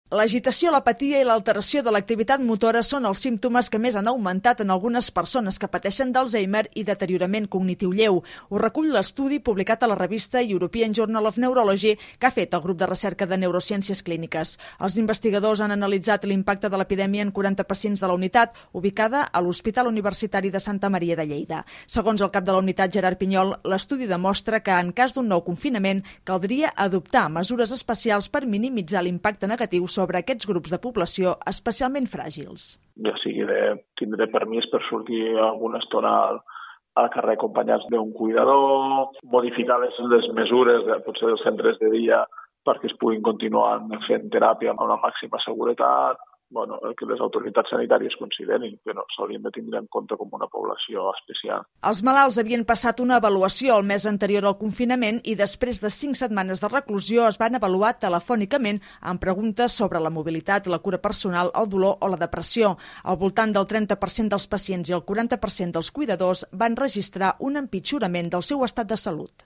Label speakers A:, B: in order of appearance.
A: L'agitació, l'apatia i l'alteració de l'activitat motora són els símptomes que més han augmentat en algunes persones que pateixen d'Alzheimer i deteriorament cognitiu lleu. Ho recull l'estudi publicat a la revista European Journal of Neurology que ha fet el grup de recerca de neurociències clíniques. Els investigadors han analitzat l'impacte de l'epidèmia en 40 pacients de la unitat, ubicada a l'Hospital Universitari de Santa Maria de Lleida. Segons el cap de la unitat, Gerard Pinyol, l'estudi demostra que en cas d'un nou confinament caldria adoptar mesures especials per minimitzar l'impacte negatiu sobre aquests grups de població especialment fràgils.
B: Ja sigui de tindre permís per sortir alguna estona al carrer acompanyats d'un cuidador, modificar les mesures potser dels centres de dia perquè es puguin continuar fent teràpia amb una màxima seguretat, que les autoritats sanitàries considerin que no s'haurien de tindre en compte com una població especial.
A: Els malalts havien passat una avaluació el mes anterior al confinament i després de 5 setmanes de reclusió es van avaluar telefònicament amb preguntes sobre la mobilitat, la cura personal, el dolor o la depressió. Al voltant del 30% dels pacients i el 40% dels cuidadors van registrar un empitjorament del seu estat de salut.